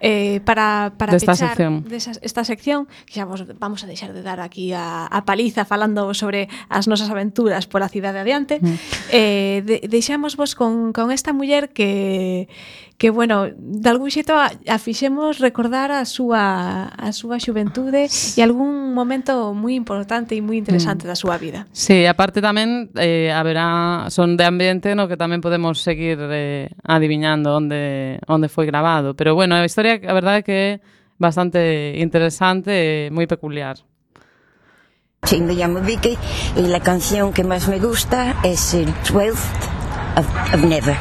Eh, para, para desta pechar sección. Desa, esta sección que xa vos vamos a deixar de dar aquí a, a paliza falando sobre as nosas aventuras pola cidade adiante. mm. eh, de, deixamos vos con, con esta muller que que, bueno, de algún xeito a, a fixemos recordar a súa a súa xuventude e algún momento moi importante e moi interesante mm. da súa vida. Sí, aparte tamén eh, haberá son de ambiente no que tamén podemos seguir eh, adiviñando onde onde foi grabado, pero bueno, a historia a verdade é que é bastante interesante e moi peculiar. Sí, me llamo Vicky y la canción que más me gusta es el twelfth of, of Never.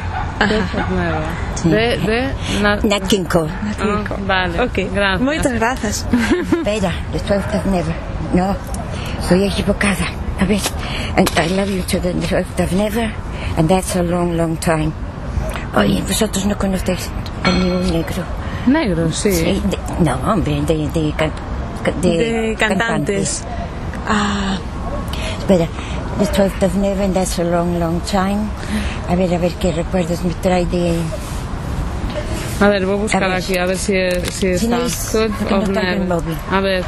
Sí. De, de na... Nat King Cole. Nat King Cole. Ah, vale, okay. Gracias. Moitas grazas. Espera, the twelfth of Never. No, estoy equivocada. A ver, and I love you to the twelfth of Never, and that's a long, long time. Oye, vosotros no conocéis a ningún negro. Negro, sí. Sí de, no, hombre, de, de, can, de, de cantantes. cantantes. Ah, espera. The twelfth of Never, and that's a long, long time. A ver, a ver qué recuerdos me trae de... A ver, voy a buscar a ver. aquí, a ver si, si está. No es, of no Never. A ver.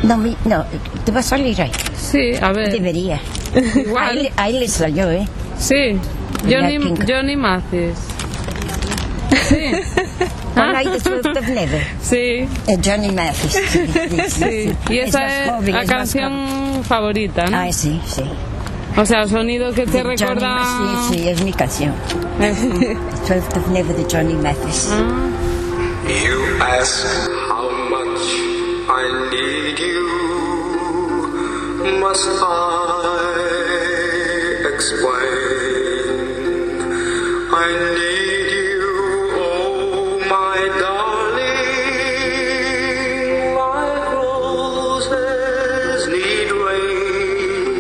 No, mi, no, ¿te va a salir ahí? Sí, a ver. Debería. Igual. Ahí, ahí le salió, ¿eh? Sí. Johnny, Johnny Mathis. Sí. Pon ahí The twelfth of Never. Sí. Eh, Johnny Mathis. Sí, sí, sí, sí. Y esa es, joven, la es canción favorita, ¿no? Ah, sí, sí. O sea, el sonido que te de recuerda... Johnny, sí, sí, es mi canción. The twelfth of Never de Johnny Mathis. Ah. You ask how much I need you. Must I explain? I need you, oh my darling, like roses need rain.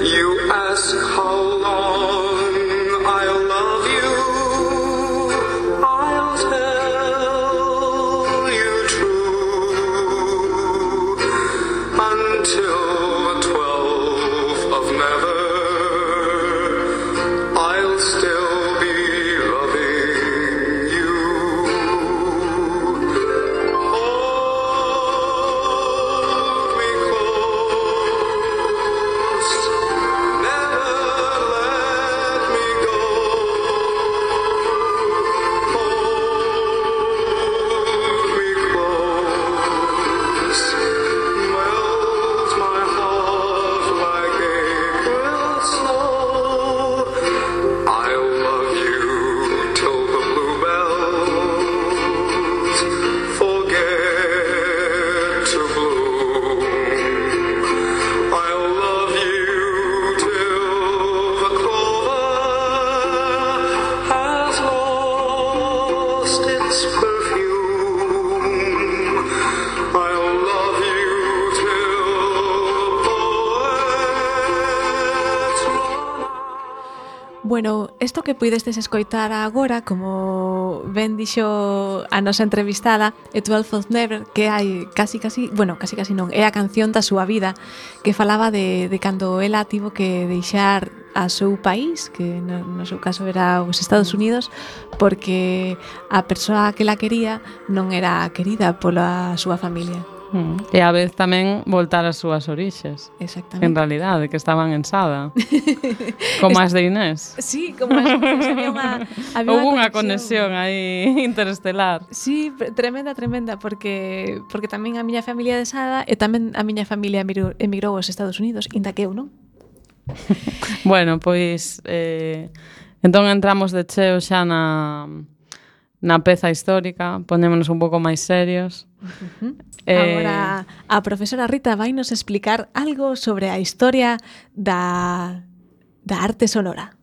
You ask how long I'll love you, I'll tell you true, until the twelfth of Never. Still be loving you. Hold me close, never let me go. Hold me close, melt my heart like April snow. I'll love you till the bluebells forget to bloom. I'll love you till the clover has lost its perfume. I'll love you till poets run out. Bueno, isto que puidestes escoitar agora, como ben dixo a nosa entrevistada, é twelfth of Never, que hai casi casi, bueno, casi casi non, é a canción da súa vida, que falaba de, de cando ela tivo que deixar a seu país, que no, no seu caso era os Estados Unidos, porque a persoa que la quería non era querida pola súa familia. Mm. E a vez tamén voltar ás súas orixes. Exactamente. En realidade, que estaban en Sada. Como as de Inés. Sí, como as de Inés. Había unha, había Houve unha conexión. conexión aí interestelar. Sí, tremenda, tremenda, porque porque tamén a miña familia de Sada e tamén a miña familia emigrou, emigrou aos Estados Unidos, inda que eu, non? Bueno, pois eh, entón entramos de cheo xa na na peza histórica, ponémonos un pouco máis serios. Uh-huh. Eh, Agora, a profesora Rita vai nos explicar algo sobre a historia da, da arte sonora.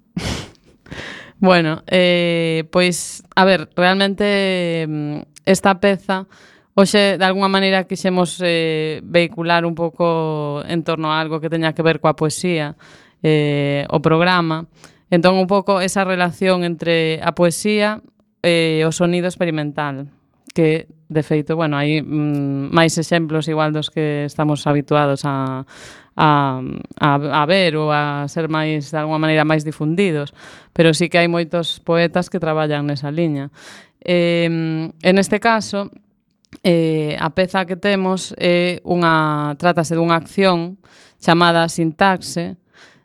Bueno, eh, pois, a ver, realmente esta peza hoxe, de alguma maneira, quixemos eh, vehicular un pouco en torno a algo que teña que ver coa poesía, eh, o programa. Entón, un pouco esa relación entre a poesía e o sonido experimental, que, de feito, bueno, hai mm, máis exemplos igual dos que estamos habituados a, a, a, a ver ou a ser máis, de alguma maneira, máis difundidos, pero sí que hai moitos poetas que traballan nesa liña. Eh, en este caso, eh, a peza que temos é unha, trátase dunha acción chamada Sintaxe,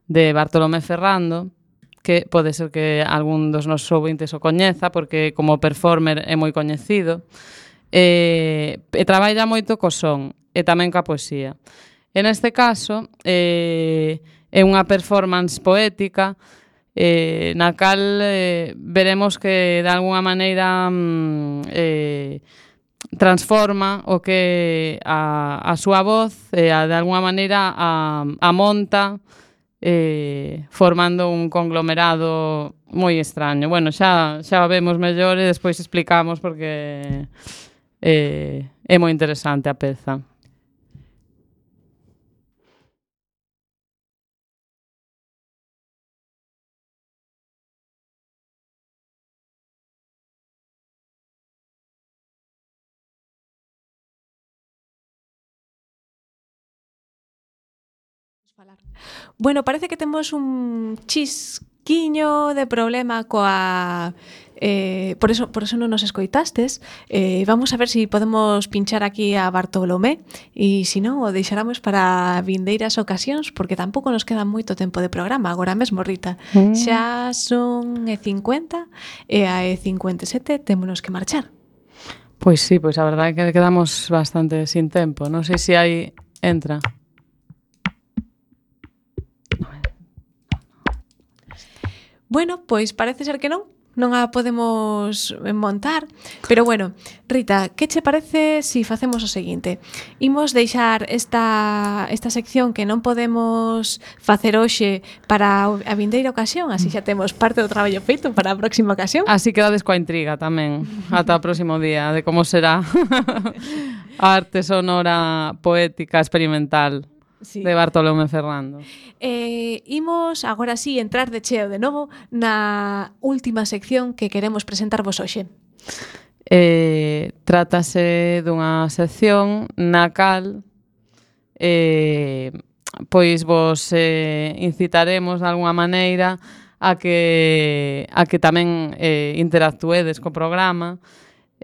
de Bartolomé Ferrando, que pode ser que algún dos nosos ouvintes o coñeza, porque como performer é moi coñecido, e, e traballa moito co son, e tamén coa poesía. En este caso, eh, é unha performance poética eh, na cal eh, veremos que de alguna maneira mm, eh, transforma o que a, a súa voz e a, de alguna maneira a, a monta eh, formando un conglomerado moi extraño. Bueno, xa, xa vemos mellor e despois explicamos porque eh, é moi interesante a peza. Bueno, parece que temos un chisquiño de problema coa... Eh, por eso por eso non nos escoitastes. Eh, vamos a ver se si podemos pinchar aquí a Bartolomé e se non, o deixaramos para vindeiras ocasións porque tampouco nos queda moito tempo de programa agora mesmo, Rita. Mm. Xa son e cincuenta e a e cincuenta e sete témonos que marchar. Pois sí, pois a verdade é que quedamos bastante sin tempo. Non sei se hai... Entra. Bueno, pois parece ser que non. Non a podemos montar, pero bueno, Rita, que che parece se si facemos o seguinte? Imos deixar esta, esta sección que non podemos facer hoxe para a vindeira ocasión, así xa temos parte do traballo feito para a próxima ocasión. Así quedades coa intriga tamén, ata o próximo día, de como será a arte sonora poética experimental. Sí. De Bartolomé Ferrando. Eh, imos agora sí entrar de cheo de novo na última sección que queremos presentarvos hoxe. Eh, trátase dunha sección na cal eh, pois vos eh, incitaremos de alguna maneira a que, a que tamén eh, interactuedes co programa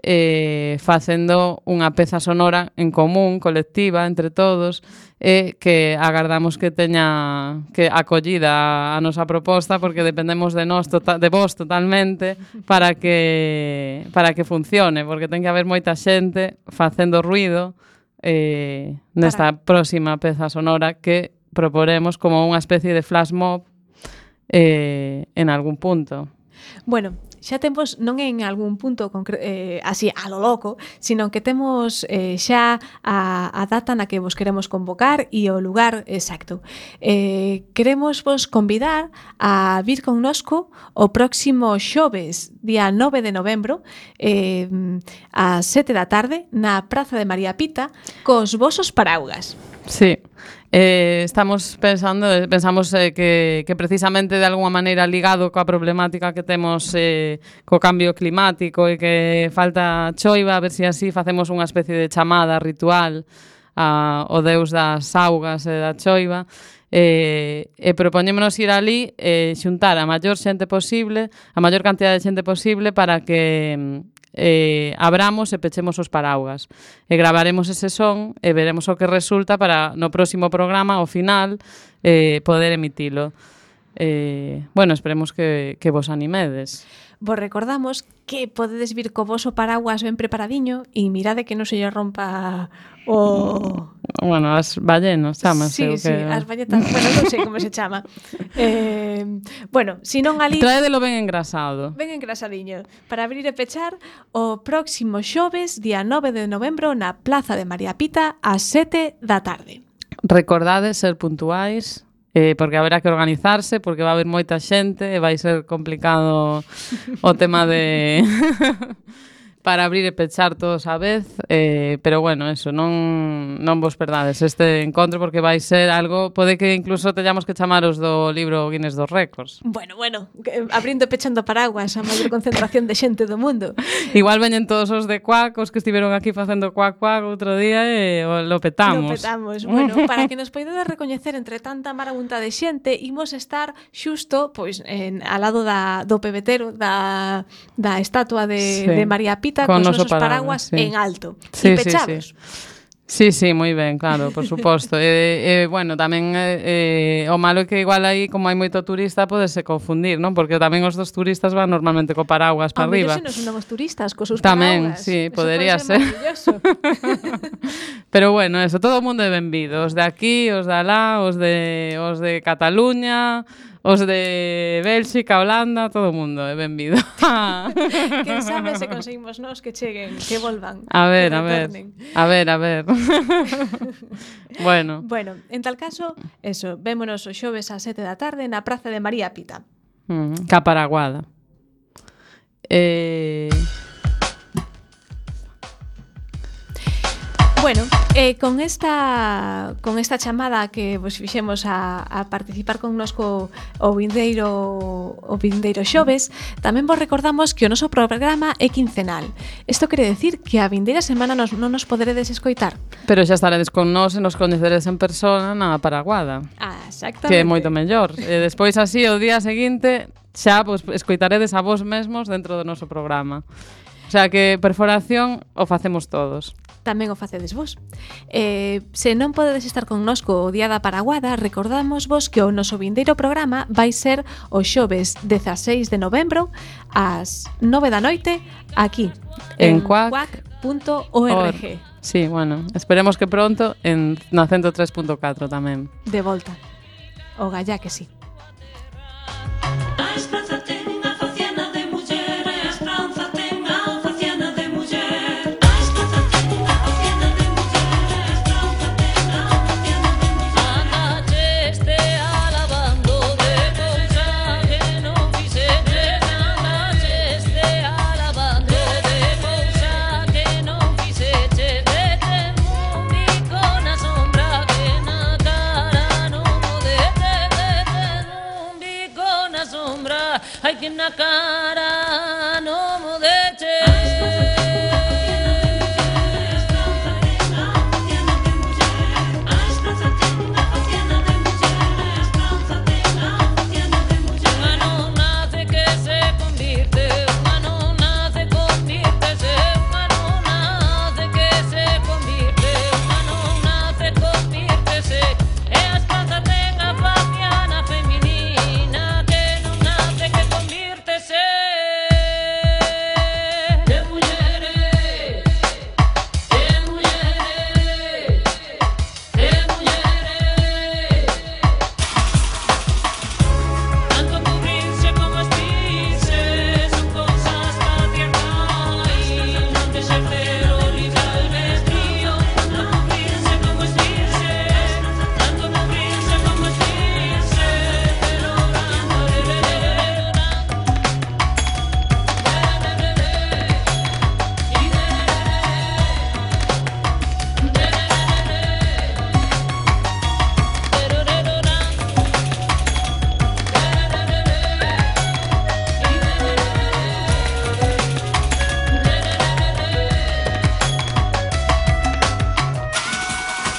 eh, facendo unha peza sonora en común, colectiva, entre todos, e que agardamos que teña que acollida a nosa proposta porque dependemos de nós tota, de vos totalmente para que para que funcione, porque ten que haber moita xente facendo ruido eh, nesta para... próxima peza sonora que proporemos como unha especie de flash mob eh, en algún punto. Bueno, xa temos, non en algún punto concre- eh, así a lo loco, sino que temos eh, xa a, a data na que vos queremos convocar e o lugar exacto. Eh, queremos vos convidar a vir connosco o próximo xoves, día nove de novembro, eh, ás sete da tarde, na Praza de María Pita, cos vosos paraugas. Sí. Eh, estamos pensando, pensamos eh, que, que precisamente de alguma maneira ligado coa problemática que temos eh, co cambio climático e que falta choiva, a ver se así facemos unha especie de chamada ritual ao deus das augas e da choiva e, e propoñémonos ir ali e xuntar a maior xente posible, a maior cantidad de xente posible para que eh, abramos e pechemos os paraugas e gravaremos ese son e veremos o que resulta para no próximo programa, ao final, eh, poder emitilo. Eh, bueno, esperemos que, que vos animedes. Vos recordamos que podedes vir co voso paraguas ben preparadiño e mirade que non se lle rompa o... bueno, as ballenas, chámase. Sí, sí, que... as balletas, bueno, non sei como se chama. Eh, bueno, si non ali... Traédelo ben engrasado. Ben engrasadiño. Para abrir e pechar o próximo xoves, día nove de novembro, na Plaza de María Pita, ás sete da tarde. Recordade ser puntuais, eh, porque haberá que organizarse, porque va a haber moita xente e vai ser complicado o tema de... para abrir e pechar todos á vez, eh, pero bueno, eso, non, non vos perdades este encontro porque vai ser algo, pode que incluso teñamos que chamaros do libro Guinness dos Récords. Bueno, bueno, abrindo e pechando paraguas a maior concentración de xente do mundo. Igual veñen todos os de Cuac, os que estiveron aquí facendo Cuac Cuac outro día e lo petamos. Lo petamos. Bueno, para que nos poidedes recoñecer entre tanta marabunta de xente, imos estar xusto pois en, al lado da, do pebetero, da, da estatua de, sí. de María Pita, con, con nosos paraguas, paraguas sí. en alto. Sí, e pechados. Sí, sí. Sí, sí, moi ben, claro, por suposto. E, eh, bueno, tamén eh, o malo é que igual aí, como hai moito turista, podese confundir, non? Porque tamén os dos turistas van normalmente co paraguas para arriba. Se non son os turistas, cos seus tamén, paraguas. Sí, podería ser. ser. Pero bueno, eso, todo o mundo é benvido. Os de aquí, os de alá, os de, os de Cataluña, os de Bélxica, Holanda, todo o mundo é benvido. Quen sabe se conseguimos nós que cheguen, que volvan. A ver, a ver. A ver, a ver. Bueno. Bueno, en tal caso, eso, vémonos o xoves ás sete da tarde na Praza de María Pita. Mm, Caparaguada. Eh... Bueno, eh, con esta con esta chamada que vos fixemos a, a participar connosco o vindeiro o vindeiro xoves, tamén vos recordamos que o noso programa é quincenal. Isto quere decir que a vindeira semana nos, non nos poderedes escoitar. Pero xa estaredes con nós e nos coñeceredes en persona na Paraguada. Ah, exactamente. Que é moito mellor. E despois así o día seguinte xa pues, escoitaredes a vos mesmos dentro do noso programa. O sea que perforación o facemos todos. Tamén o facedes vos. Eh, se non podedes estar connosco o día da Paraguada, recordamos vos que o noso vindeiro programa vai ser o xoves dezaseis de novembro ás nove da noite aquí en, en cuac punto org. Sí, bueno, esperemos que pronto en na ciento tres punto catro tamén. De volta. O gallá que sí. Ay, que na cara